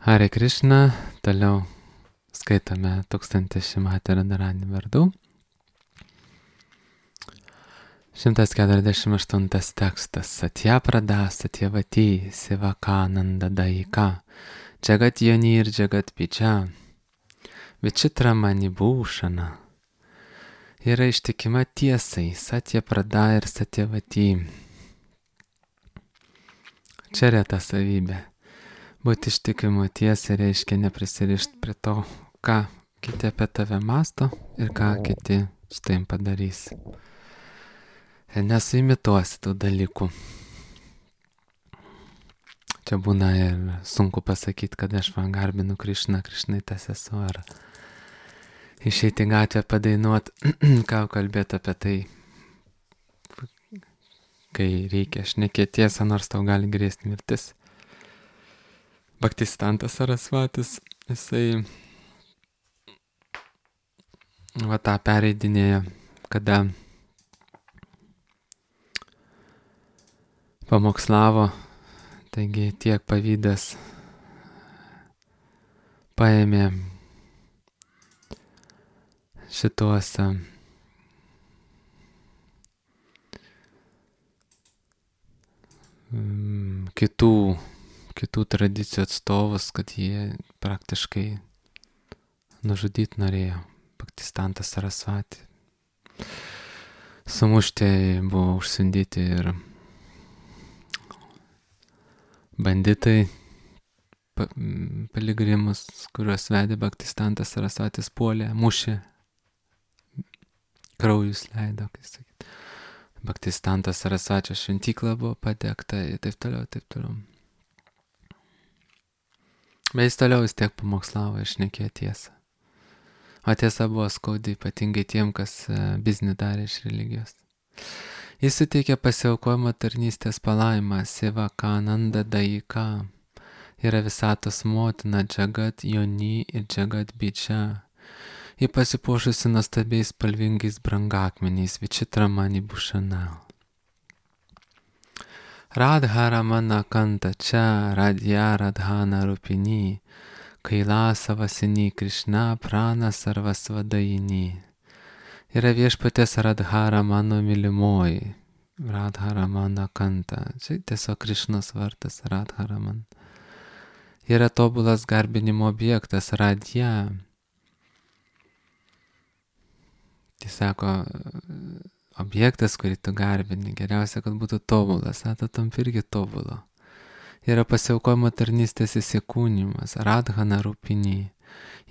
Hare Krishna, toliau skaitome 1000 Šimati Radharani vardų. 148 tekstas. Satyaprada Satyavati Sivakananda Daika Jagat Yoni ir Jagat Picha Vichitra Manibhushana. Yra ištikima tiesai Satyaprada ir Satyavati. Čia reta savybė. Būti ištikimu tiesai reiškia neprisirišti prie to, ką kiti apie tave masto ir ką kiti su tavim padarys. Ir nesuimituosi tų dalykų. Čia būna ir sunku pasakyti, kad aš man garbinu Krišną, Krišnai tas esu, ar išeiti į gatvę padainuot, ką kalbėti apie tai, kai reikia šnekėti tiesą, nors tau gali grėsti mirtis. Bhaktistantas Sarasvatis, jisai tą pereidinėja, kada pamokslavo, taigi tiek pavydas paėmė šituos kitų tradicijų atstovus, kad jie praktiškai nužudyti norėjo. Bhaktistantas Sarasvati. Sumušti buvo užsindyti ir banditai, piligrimus, kuriuos vedė Bhaktistantas Sarasvatis, puolė, mušė, kraujus leido, kai sakyt. Bhaktistantas Sarasvačio šventykla buvo padegta ir taip toliau, taip toliau. Bet jis toliau vis tiek pamokslavo ir šnekėjo tiesą. O tiesa buvo skaudi, ypatingai tiem, kas biznį darė iš religijos. Jis suteikė pasiaukojimo tarnystės palaimą, Sivakananda Daika. Yra visatos motina, Jagat Yoni ir Jagat Picha. Ji pasipuošusi nuostabiais spalvingais brangakmeniais, Vichitra Manibhushana. Radharamana Kanta Cha Radhya Radhana Rupini Kailasa Vasini Krishna Prana Sarvasvadayini. Yra viešpatės Radharamano mylimoji, Radharamana Kanta. Čia tiesiog Krišnos vardas Radharaman. Yra tobulas garbinimo objektas Radhya. Tai sako, objektas, kurį tu garbini, geriausia, kad būtų tobulas, tu tampi irgi tobulo. Yra pasiaukojimo tarnystės įsikūnimas, Radhana Rupini.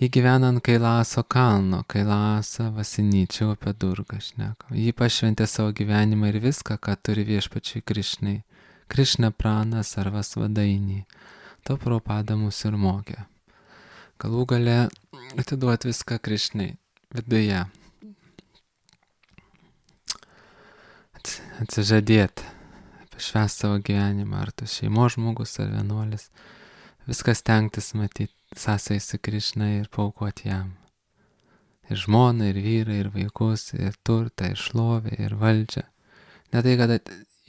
Ji gyvena ant Kailaso kalno, Kailasa Vasinyčiau apie Durgą šneka. Ji pašventė savo gyvenimą ir viską, ką turi viešpačiai Krišnai. Krišna Prana Sarvasvadaini. To Prabhupada mūsų ir mokė. Galų gale atiduoti viską Krišnai viduje. Atsižadėti, pašvęsti savo gyvenimą, ar tu šeimos žmogus, ar vienuolis, viskas stengtis matyti sąsai su Krišna ir paaukoti jam. Ir žmoną, ir vyrą, ir vaikus, ir turtą, ir šlovę, ir valdžią. Ne tai, kad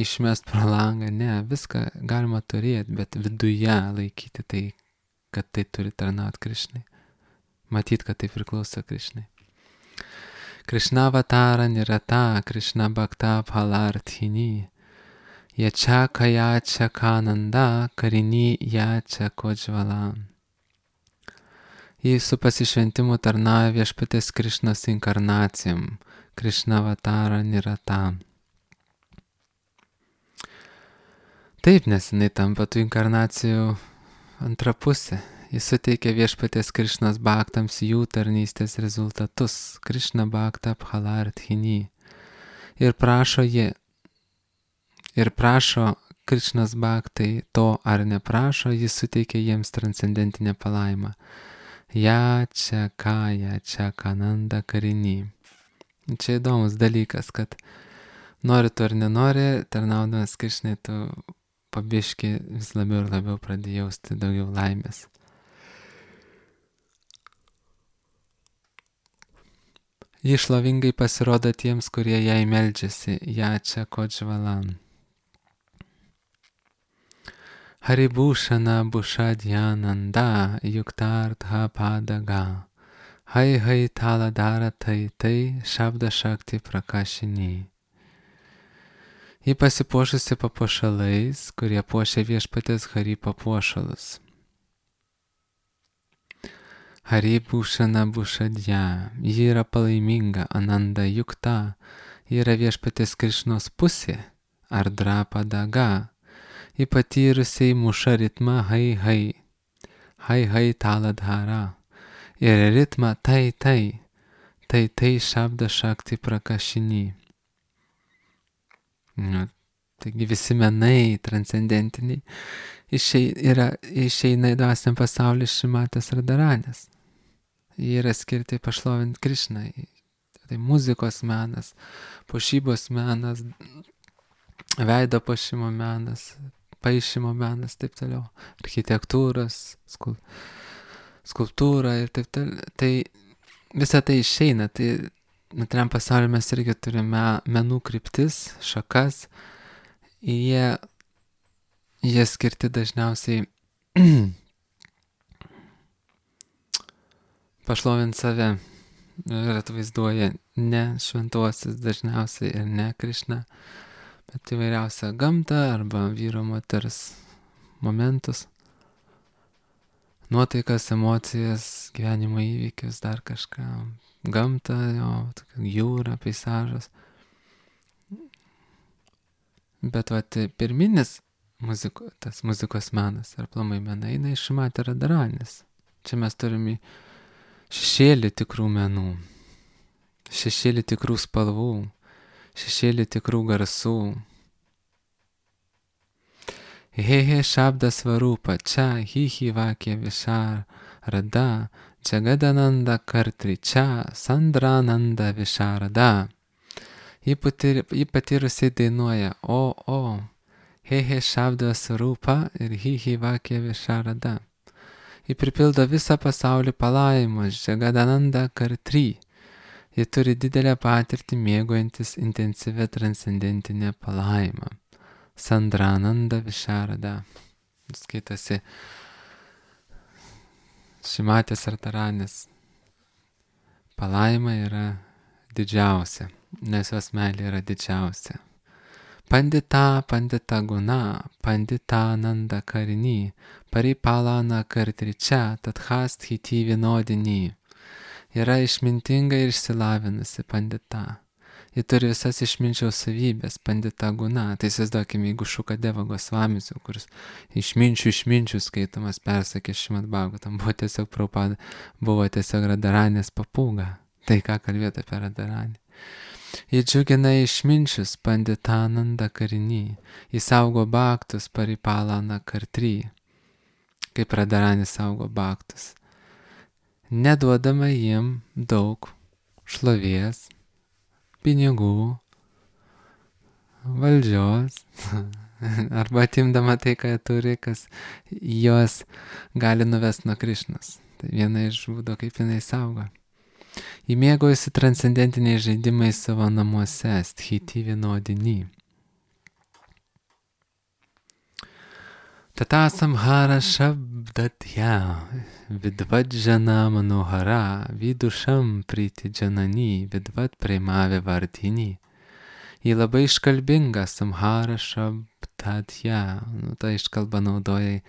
išmest pro langą, ne, viską galima turėti, bet viduje laikyti tai, kad tai turi tarnauti Krišnai. Matyti, kad tai priklauso Krišnai. Krishna Avatara Nirata, Krishna Bhakta Phalarthini, Yacha Kayacha Kananda, Karini Yacha Kojvala. Jis su pasišventimu tarnauja viešpatės Krišnos inkarnacijom, Krishna Avatara Nirata. Taip, nes jinai tampa tų inkarnacijų antra pusė. Jis suteikia viešpatės Krišnos bhaktams jų tarnystės rezultatus, Krishna Bhakta Phalarthini. Ir prašo Krišnos bhaktai to ar neprašo, jis suteikia jiems transcendentinę palaimą. Yacha Kayacha Kananda Karini. Čia įdomus dalykas, kad nori tu ar nenori, tarnaudamas Krišnai, tu pabiški vis labiau ir labiau pradėjai jausti daugiau laimės. Ji šlovingai pasirodo tiems, kurie jai meldžiasi, Yacha Kojvalam. Haribhushana Bhushadhyananda Yuktardha Padaga Hai Hai Taladara Tai Tai Shabda Shakti Prakashini. Ji pasipuošusi papuošalais, kurie puošia viešpatės Hari papuošalus. Haribhushana Bhushadhya, ji yra palaiminga, Ananda Yukta, ji yra viešpatės Krišnos pusė, Ardrapadaga, ji patyrusiai muša ritmą Hai Hai, Hai Hai Taladhara, ir ritmą Tai Tai, Tai Tai Shabda Shakti Prakashini. Taigi visi menai transcendentiniai išeina į dvasiniam pasaulį Šrimatės Radharanės. Jie yra skirti pašlovinti Krišną. Tai muzikos menas, puošybos menas, veido puošimo menas, paišymo menas, taip toliau, architektūros, skulptūra ir taip toliau. Tai visa tai išeina. Tai materialiam pasaulyje mes irgi turime menų kryptis, šakas. Jie skirti dažniausiai pašlovinti save ir atvaizduoja ne šventuosius dažniausiai ir ne Krišną, bet įvairiausią gamtą arba vyro moters momentus, nuotaikas, emocijas, gyvenimo įvykius, dar kažką, gamtą, jūrą, peizažas. Bet pirminis tas muzikos menas ar aplamai menai eina iš Šrimatės Radharanės. Čia mes turime šešėlį tikrų menų, šešėlį tikrų spalvų, šešėlį tikrų garsų. He he Shabda Svarupa, čia hi hi vakė Visharada, Jagadananda Kartri, čia Sandrananda Visharada. Ji patyrusiai dainuoja o, he he Shabda Svarupa ir hi hi vakė Visharada. Ji pripildo visą pasaulį palaimus, Jagadananda Kartri. Ji turi didelę patirtį mėgaujantis intensyvę transcendentinę palaimą. Sandrananda Visharada. Skaitasi Šrimatės Radharanės palaima yra didžiausia, nes jos meilė yra didžiausia. Pandita guna, pandita nanda karini, paripalana kartričia, tatkhasthiti vienodini. Yra išmintinga ir išsilavinusi pandita. Ji turi visas išminčiaus savybės, pandita guna. Tai įsivaizduokime, jeigu Šukadeva Gosvamisiu, kuris išminčių skaitomas, persakė Šrimad Bhagavatam, buvo tiesiog Radharanės papūga. Tai ką kalbėti apie Radharanę. Ji džiugina išminčius, panditananda karini, ji saugo bhaktus, paripalana kartri, kaip Radharanė saugo bhaktus, neduodama jiem daug šlovės, pinigų, valdžios, arba atimdama tai, ką turi, kas jos gali nuvesti nuo Krišnos. Tai viena iš būdų, kaip jinai saugo. Ji mėgaujasi transcendentiniais žaidimais savo namuose, sthiti vienodini. Tata samhara shabdatya, vidvadžana manohara, vidušam priti džanani, vidvad premave vardini. Ji labai iškalbinga, samhara shabdatya, ta iškalba naudoja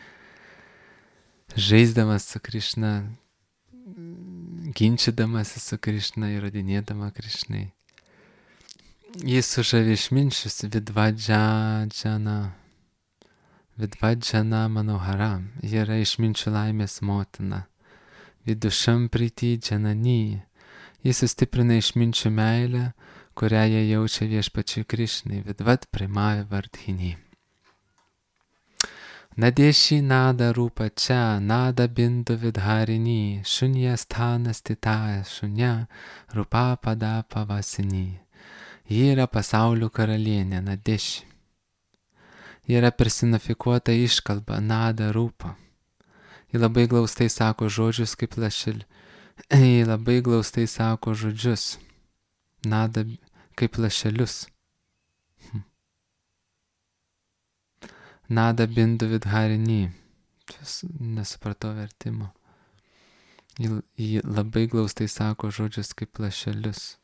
žaisdamas su Krišna, ginčydamasi su Krišna, įrodinėdama Krišnai. Jis sužavi išminčius, vidvadžana manohara, ji yra išminčių laimės motina. Vidušam priti džanani, jis sustiprina išminčių meilę, kurią jie jaučia viešpačiui Krišnai, vidvad premave vardhini. Nadeshi nada rupa čia, nada bindu vidharini, šunja sthanas titaja, šunja rupa pada pavasini. Ji yra pasaulių karalienė, Nadeši. Ji yra personifikuota iškalba, nada rupa. Ji labai glaustai sako žodžius kaip lašelį. Ji labai glaustai sako žodžius, nada kaip lašelius. Nada bindu vidharini. Nesupratau vertimo. Jį labai glaustai sako žodžius kaip lašelius.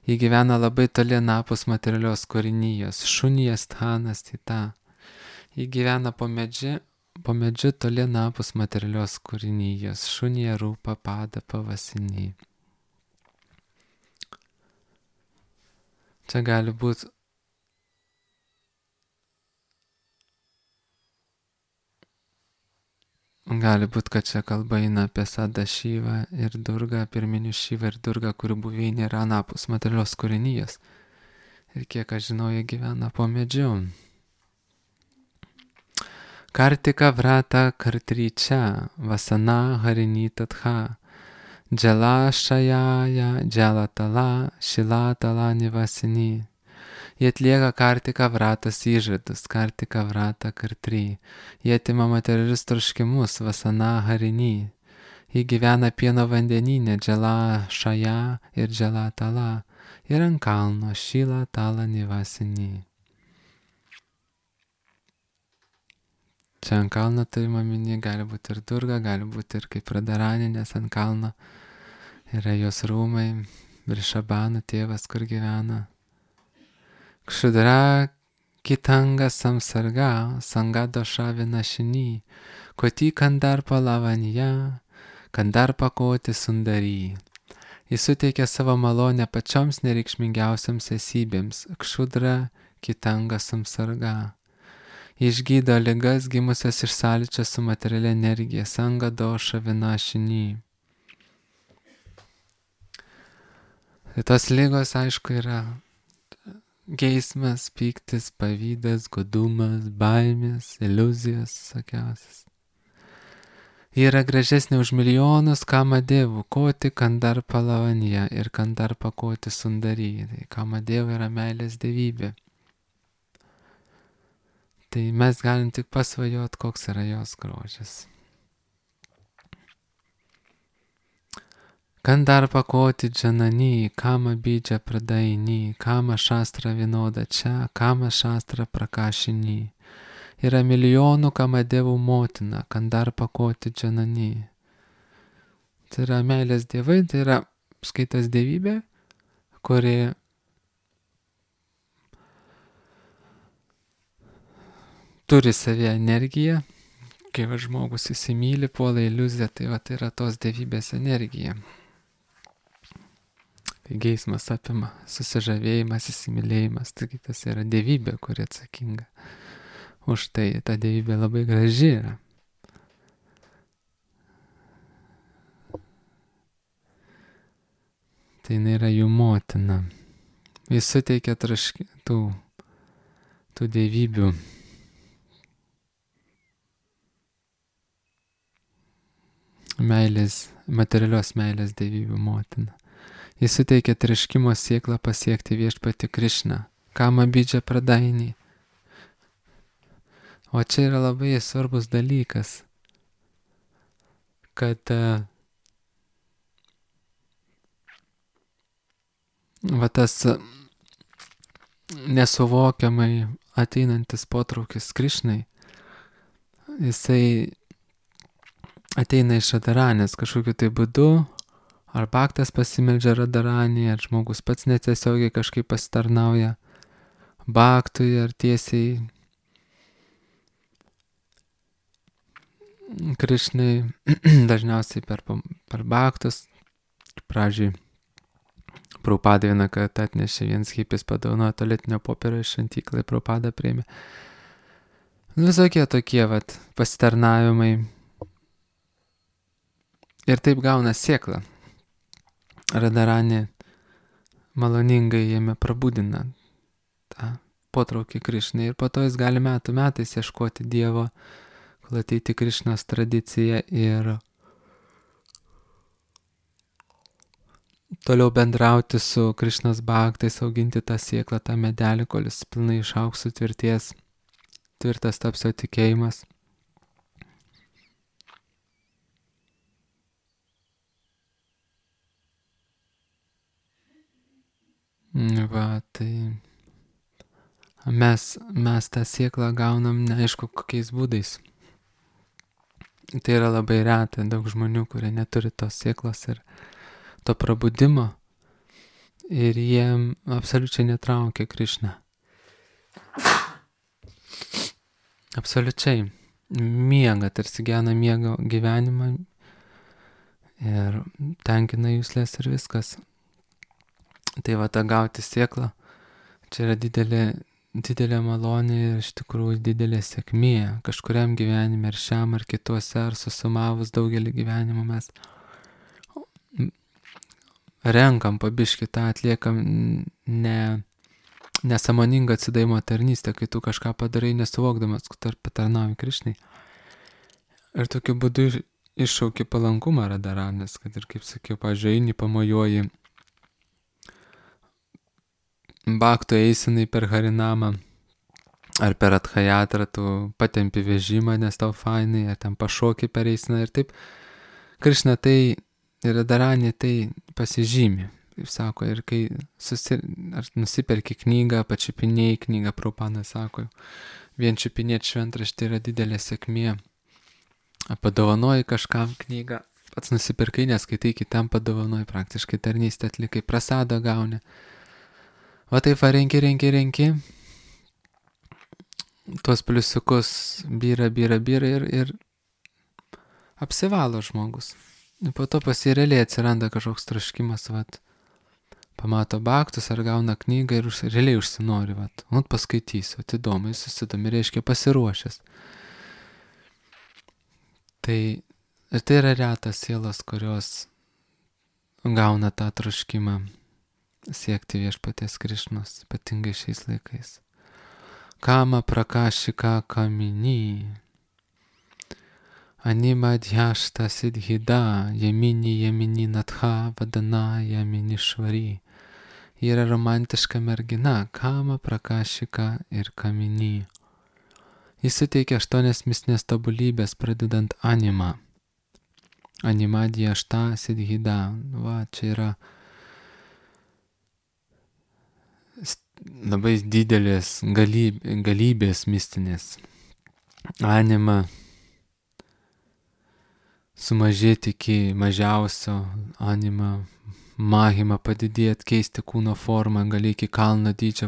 Jį gyvena labai toli napus materialios kūrinijos. Šunija sthanas tita. Jį gyvena po medžiu toli napus materialios kūrinijos. Šunija rūpa pada pavasinį. Čia gali būti kad čia kalba eina apie Sada Šyvą ir Durgą, pirminių Šyvą ir Durgą, kurių buveinė yra anapus materialios kūrinijos. Ir kiek aš žinau, jie gyvena po medžiu. Kartika vrata kartryčia, vasana harini tatha, džala šajaja, džala tala, šila tala nivasini. Jie atlieka kartika vratas įžadus, kartika vrata kartry. Jie atima materialius troškimus, vasana harini. Jie gyvena pieno vandenyne, džala šaja ir džala tala. Ir ant kalno šila tala nivasini. Čia ant kalno turima minė, gali būti ir Durga, gali būti ir kaip Radharani, nes ant kalno yra jos rūmai, Vrishabhanu tėvas, kur gyvena. Kšudra kitanga samsarga, sangadosha vinašini, koti kandarpa lavanya, kandarpa koti sundary. Jis suteikia savo malonę pačioms nereikšmingiausiams esybėms, kšudra kitanga samsarga. Išgydo ligas gimusias iš sąlyčio su materialia energija, sangadosha vinašini. Tai tos ligos, aišku, yra geismas, pyktis, pavydas, godumas, baimės, iliuzijos visokiausias. Ji yra gražesnė už milijonus kamadevų, koti kandarpa lavanya ir kandarpa koti sundary. Tai kamadeva yra meilės dievybė. Tai mes galim tik pasvajot, koks yra jos grožis. Kandarpa koti džanani, kama bidžia pradaini, kama šastra vinoda čia, kama šastra prakašini. Yra milijonų kamadevų motina, kandarpa koti džanani. Tai yra meilės dievai, tai yra skaitas dievybė, kuri turi savyje energiją. Kai žmogus įsimyli, puola iliuziją, tai yra tos dievybės energija. Tai geismas apima, susižavėjimas, įsimylėjimas, taigi tas yra dievybė, kuri atsakinga už tai. Ta dievybė labai graži yra. Tai jinai yra jų motina. Jis suteikia tų dievybių meilės, materialios meilės dievybių motina. Jis suteikia troškimo sėklą pasiekti viešpatį Krišną. Kama bidžia pradaini. O čia yra labai svarbus dalykas, kad tas nesuvokiamai ateinantis potraukis Krišnai, jisai ateina iš Radharanės kažkokiu tai būdu, ar bhaktas pasimeldžia Radharanį, ar žmogus pats netiesiogiai kažkaip pasitarnauja bhaktui, ar tiesiai Krišnai, dažniausiai per bhaktus. Pradžiui Prabhupada vieną kartą atnešė, vienas hipis padovanojo tualetinio popierio iš šventyklai, Prabhupada priėmė. Visokie tokie pasitarnavimai. Ir taip gauna sėklą. Radharani maloningai jame prabudina tą potraukį Krišnai ir po to jis gali metų metais ieškoti Dievo, kol ateiti Krišnos tradiciją ir toliau bendrauti su Krišnos bhaktais, auginti tą sėklą, tą medelį, kol jis pilnai išaugs, tvirtas taps jo tikėjimas. Tai mes tą sėklą gaunam neaišku kokiais būdais. Tai yra labai reta, daug žmonių, kurie neturi tos sėklos ir to prabudimo ir jiem absoliučiai netraukia Krišna. Absoliučiai miega, tarsi gyvena miego gyvenimą ir tenkina juslės ir viskas. Tai va, ta gauti sėklą, čia yra didelė malonė ir iš tikrųjų didelė sėkmė kažkuriam gyvenime ar šiam ar kituose ar susumavus daugelį gyvenimų mes renkam pabiškį tą, atliekam nesąmoningą atsidavimo tarnystę, kai tu kažką padarai nesuvokdamas, kad patarnauji Krišnai. Ir tokiu būdu iššauki palankumą Radharanės, kad ir kaip sakiau, pažiūrėjai, pamojuoji bhakto eisenai per Harinamą ar per Adhayatrą, tu patempi vežimą, nes tau fainai, ar ten pašoki per eiseną ir taip. Krišna tai ir Radharanė tai pasižymi, kaip sako, ir kai ar nusiperki knygą, pačiupinėjai knygą, Prabhupada sako, vien čiupinėti šventraštį yra didelė sėkmė. Padovanoji kažkam knygą, pats nusipirkai, neskaitai, kitam padovanoji, praktiškai tarnystę atlikai, prasadą gauni. O taip va, renki, tuos pliusiukus byra ir apsivalo žmogus. Po to pasireliai atsiranda kažkoks troškimas, vat, pamato bhaktus ar gauna knygą ir realiai užsinori, vat, paskaitysiu, įdomu, jis susidomi, reiškia pasiruošęs. Tai yra retas sielos, kurios gauna tą troškimą siekti viešpaties Krišnos, ypatingai šiais laikais. Kama prakashika kamini, anima dhyashta siddhida, yamini natha vadana yamini švari. Yra romantiška mergina, kama prakashika ir kamini. Jis suteikia 8 mistinės tobulybės, pradedant anima. Anima dhyashta siddhida. Va, čia yra labai didelės galybės mistinės. Anima sumažėti iki mažiausio, anima mahima padidėti, keisti kūno formą, gali iki kalno dydžio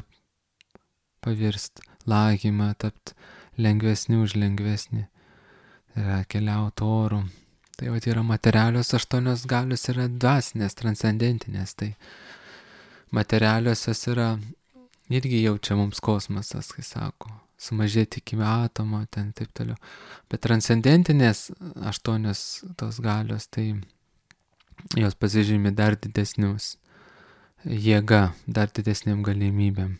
pavirsti, lahima tapti lengvesni už lengvesnį, tai yra keliauti oru. Tai va, yra materialios 8 galios, yra dvasinės, transcendentinės, tai materialiosios yra irgi jaučia mums kosmosas, kai sako, sumažėti iki atomo, ten taip toliau. Bet transcendentinės 8 tos galios, tai jos pasižymi dar didesnius jėga, dar didesnėm galimybėm.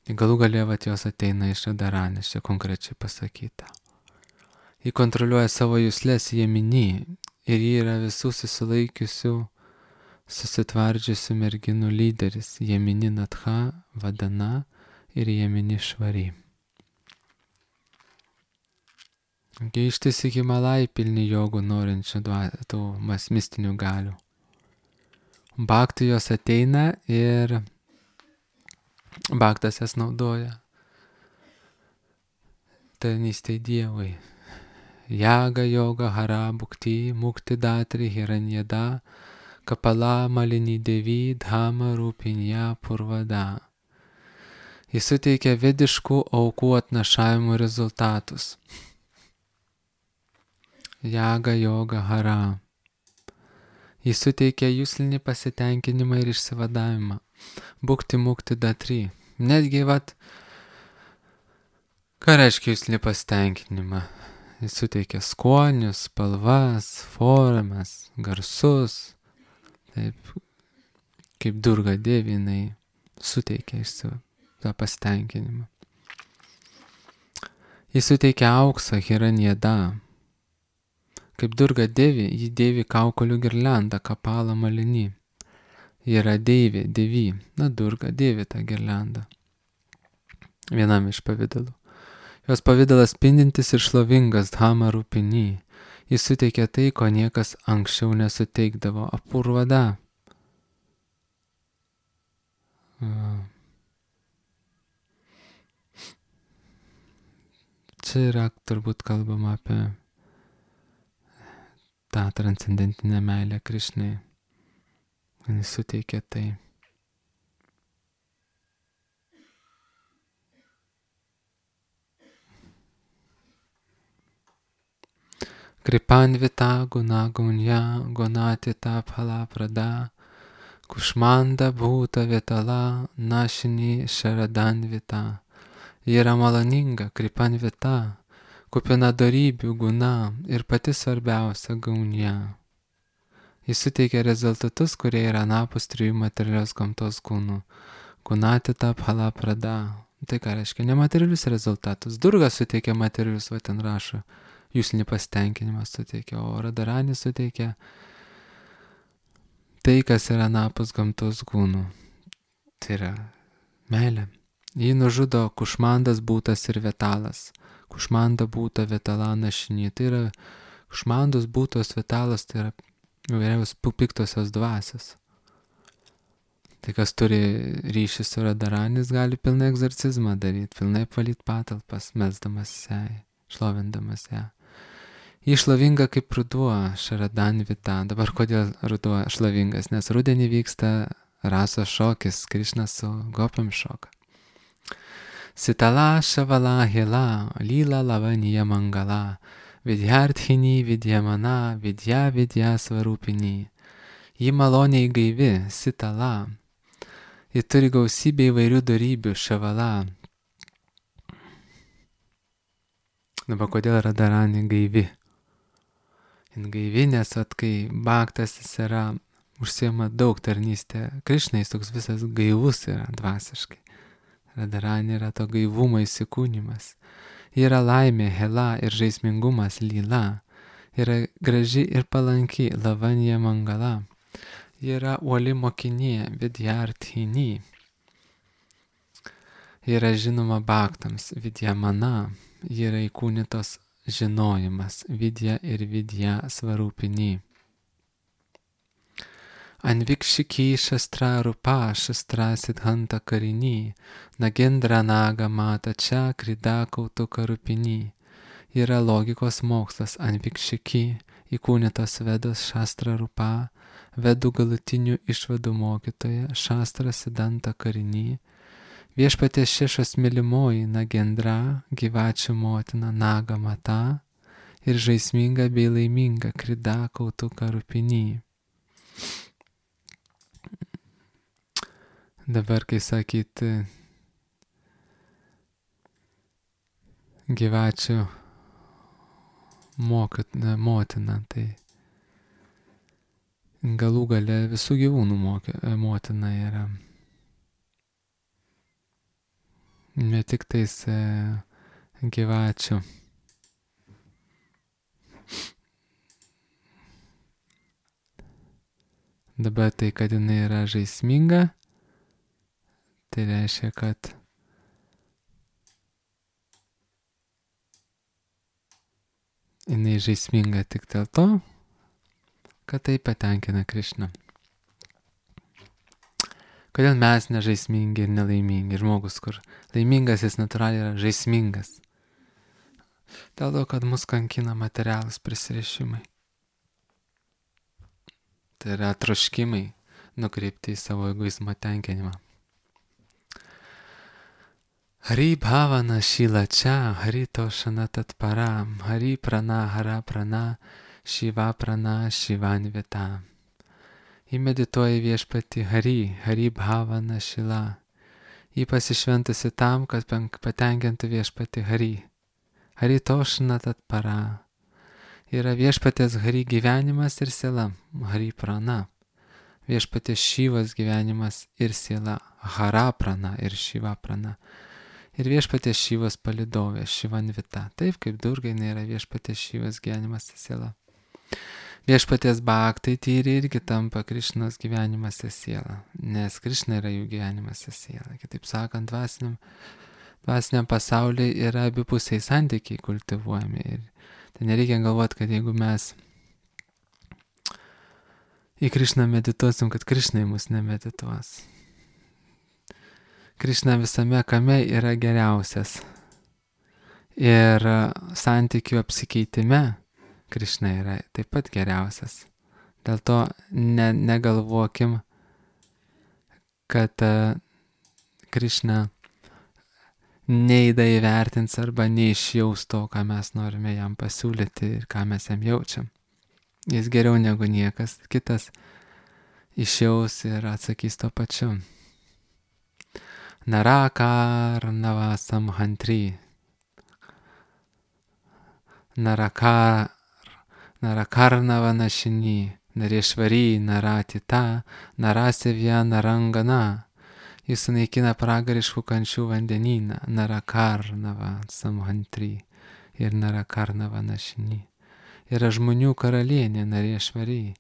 Galų galia, vat, jos ateina iš Radharanės, čia konkrečiai pasakyta. Ji kontroliuoja savo juslės Yamini ir ji yra visų susilaikiusių, susitvardžiusių merginų lyderis, Yamini natha vadana ir Yamini švari. Ištisi Himalai pilni jogų norinčių tų mistinių galių. Bhaktai jos ateina ir bhaktas jas naudoja tarnystei Dievui. Jaga yoga hara bhukti mukti datri hiranyada kapala malini devi dhama rūpinja purvada. Jis suteikia vediškų aukų atnašavimų rezultatus. Jaga yoga hara. Jis suteikia juslinį pasitenkinimą ir išsivadavimą. Bhukti mukti datri. Netgi, vat, ką reiškia juslinį pasitenkinimą? Jis suteikia skonius, spalvas, formas, garsus. Taip, kaip Durga Devi, jinai suteikia tą pasitenkinimą. Jis suteikia auksą, hiranyada. Kaip Durga Devi, ji dėvi kaukolių girliandą, kapalą malinį. Ji yra deivė, Durga dėvi tą girliandą. Vienam iš pavydalų. Jos pavydalas spindintis ir šlovingas dhama rūpinį. Jis suteikia tai, ko niekas anksčiau nesuteikdavo. Apurvada. čia yra turbūt kalbama apie tą transcendentinę meilę Krišnai. Jis suteikia tai. Kripanvita guna gunya gunatita phala prada kušmanda bhuta vitala našini šaradanvita. Ji yra maloninga, kripanvita, kupina dorybių guna ir pati svarbiausia gaunia. Jis suteikia rezultatus, kurie yra anapus trijų materialios gamtos kūnų. Gunatita phala prada. Tai ką reiškia? Nematerialius rezultatus. Durga suteikia materialius, va ten rašo. Jūslinį pasitenkinimą suteikia, o Radharani suteikia tai, kas yra anapus gamtos kūnų. Tai yra meilė. Jį nužudo kušmandas būtas ir vetalas. Kušmanda būta vetala našinį. Tai yra kušmandos būtos vetalas, tai yra įvairiaus piktosios dvasios. Tai kas turi ryšį su Radharanis, gali pilnai egzorcizmą daryti, pilnai apvalyti patalpas, mesdamas ją, šlovindamas ją. Ji šlovinga kaip ruduo, Šaradanvita. Dabar kodėl ruduo šlovingas? Nes rudenį vyksta rasos šokis, Krišnas su gopam šoka. Sitala šavala hila, lyla lavanija mangala, vidyarthini vidyamana, vidya svarupini. Ji maloniai gaivi, sitala. Ji turi gausybę įvairių dorybių, šavala. Dabar kodėl Radharani gaivi? Jin gaivi, nes kai bhaktas jis yra, užsiema daug tarnystę Krišnai, jis toks visas gaivus yra dvasiškai. Radharani yra to gaivumo įsikūnymas. Ji yra laimė, hela ir žaismingumas, lyla. Yra graži ir palanki, lavanya mangala. Ji yra uoli mokinė, vidyarthini. Ji yra žinoma bhaktams, vidyamana. Ji yra įkūnytos žinojimas, vidya ir vidya svarupini. Anvikshiki šastra rupa šastra siddhanta karini, nagendra naga mata čia krida kautuka rupini. Yra logikos mokslas, anvikshiki, įkūnytos vedos šastra rupa, vedų galutinių išvadų mokytoja, šastra siddhanta karini, viešpaties šešos mylimoji Nagendra, gyvačių motina Naga mata ir žaisminga bei laiminga krida kautuka rupini. Dabar, kai sakyti gyvačių motina, tai galų gale visų gyvūnų motina yra. Ne tik tais gyvačių. Dabar tai, kad jinai yra žaisminga, tai reiškia, kad jinai žaisminga tik dėl to, kad tai patenkina Krišną. Kodėl mes nežaismingi ir nelaimingi? Žmogus, kur laimingas, jis natūraliai yra žaismingas. Dėl to, kad mus kankina materialūs prisirišimai. Tai yra troškimai nukreipti į savo egoizmo tenkinimą. Hari bhavana šila čia, hari tošana tatpara, hari prana hara prana, šiva prana šivanvita. Ji medituoja viešpati hari bhavana šila. Ji pasišventusi tam, kad patenkintų viešpati hari. Hari tošana tatpara. Yra viešpatės hari gyvenimas ir siela, hari prana. Viešpatės šyvas gyvenimas ir siela, hara prana ir šiva prana. Ir viešpatės šyvas palidovė, šivanvita. Taip kaip Durga yra viešpatės šyvas gyvenimas ir siela. Viešpaties bhaktai tyri irgi tampa Krišnos gyvenimas ir siela, nes Krišna yra jų gyvenimas ir siela. Kitaip sakant, dvasiniam pasaulyje yra abipusiai santykiai kultivuojami. Ir tai nereikia galvoti, kad jeigu mes į Krišną medituosim, kad Krišna į mus nemedituos. Krišna visame kame yra geriausias. Ir santykių apsikeitime Krišna yra taip pat geriausias. Dėl to negalvokim, kad Krišna neįda įvertins arba neišjaus to, ką mes norime jam pasiūlyti ir ką mes jam jaučiam. Jis geriau negu niekas kitas išjaus ir atsakys to pačiu. Narakarnava samhantri. Narakarnava našini. Narešvari, naratita, narasevya, narangana. Jis sunaikina pragariškų kančių vandenyną. Narakarnava samhantri ir narakarnava našini. Yra žmonių karalienė, narešvari.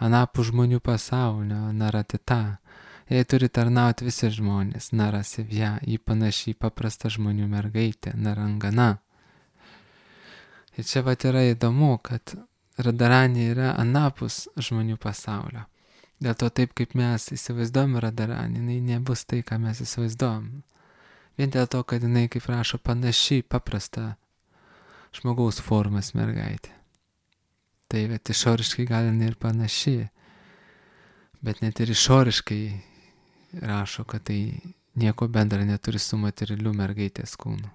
Anapus žmonių pasaulio, naratita. Jai turi tarnauti visi žmonės. Narasevya, jį panašiai paprasta žmonių mergaitė, narangana. Ir čia vat yra įdomu, kad Radharani yra anapus žmonių pasaulio. Dėl to taip, kaip mes įsivaizduojam Radharani, jinai nebus tai, ką mes įsivaizduojam. Vien dėl to, kad jinai, kaip rašo, panašiai paprasta žmogaus formas mergaitė. Tai bet išoriškai gal jinai ir panašiai, bet net ir išoriškai rašo, kad tai nieko bendra neturi su materialiu mergaitės kūnu.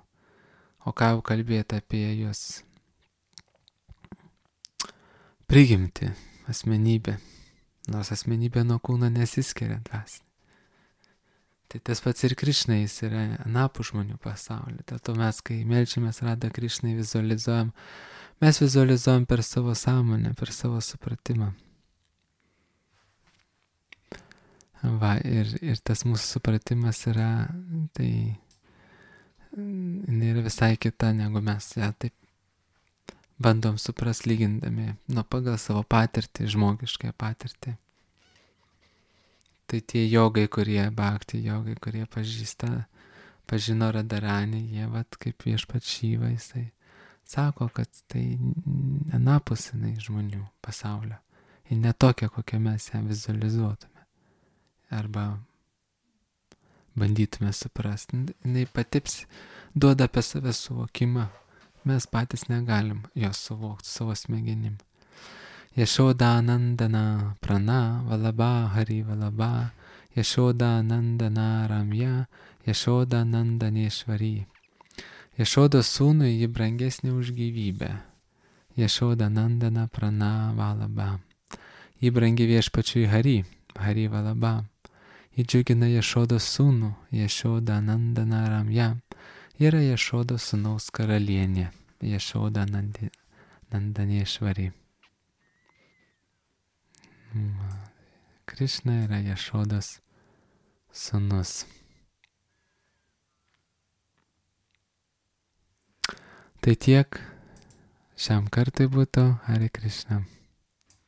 O ką jau kalbėti apie jos prigimtį, asmenybę, nors asmenybė nuo kūno nesiskiria dvasinė. Tai tas pats ir Krišna, jis yra anapus žmonių pasaulio. Dėl to mes, kai melčiamės Radha Krišnai, mes vizualizuojam per savo sąmonę, per savo supratimą. Va, ir tas mūsų supratimas yra, tai jinai yra visai kita, negu mes ją taip bandom supras lygindami pagal savo patirtį, žmogišką patirtį. Tai tie jogai, bhakti jogai, kurie pažino Radharani, jie vat kaip Viešpats Šiva, jisai sako, kad tai anapus jinai žmonių pasaulio. Ir ne tokia, kokią mes ją vizualizuotume. Arba bandytume suprasti. Jinai patips, duoda apie save suvokimą. Mes patys negalim jos suvokti savo smegenim. Yashoda nandana prana valaba hari valaba. Yashoda nandana ramya. Yashoda nandanešvari. Yashodos sūnui ji brangesnė už gyvybę. Yashoda nandana prana valaba. Ji brangi Viešpačiui Hari valaba. Ji džiugina Yashodos sūnų. Yashoda nandana ramya. Yra Yashodos sūnaus karalienė, Yashoda nandanešvari. Krišna yra Yashodos sūnus. Tai tiek šiam kartui būtų. Hare Krishna.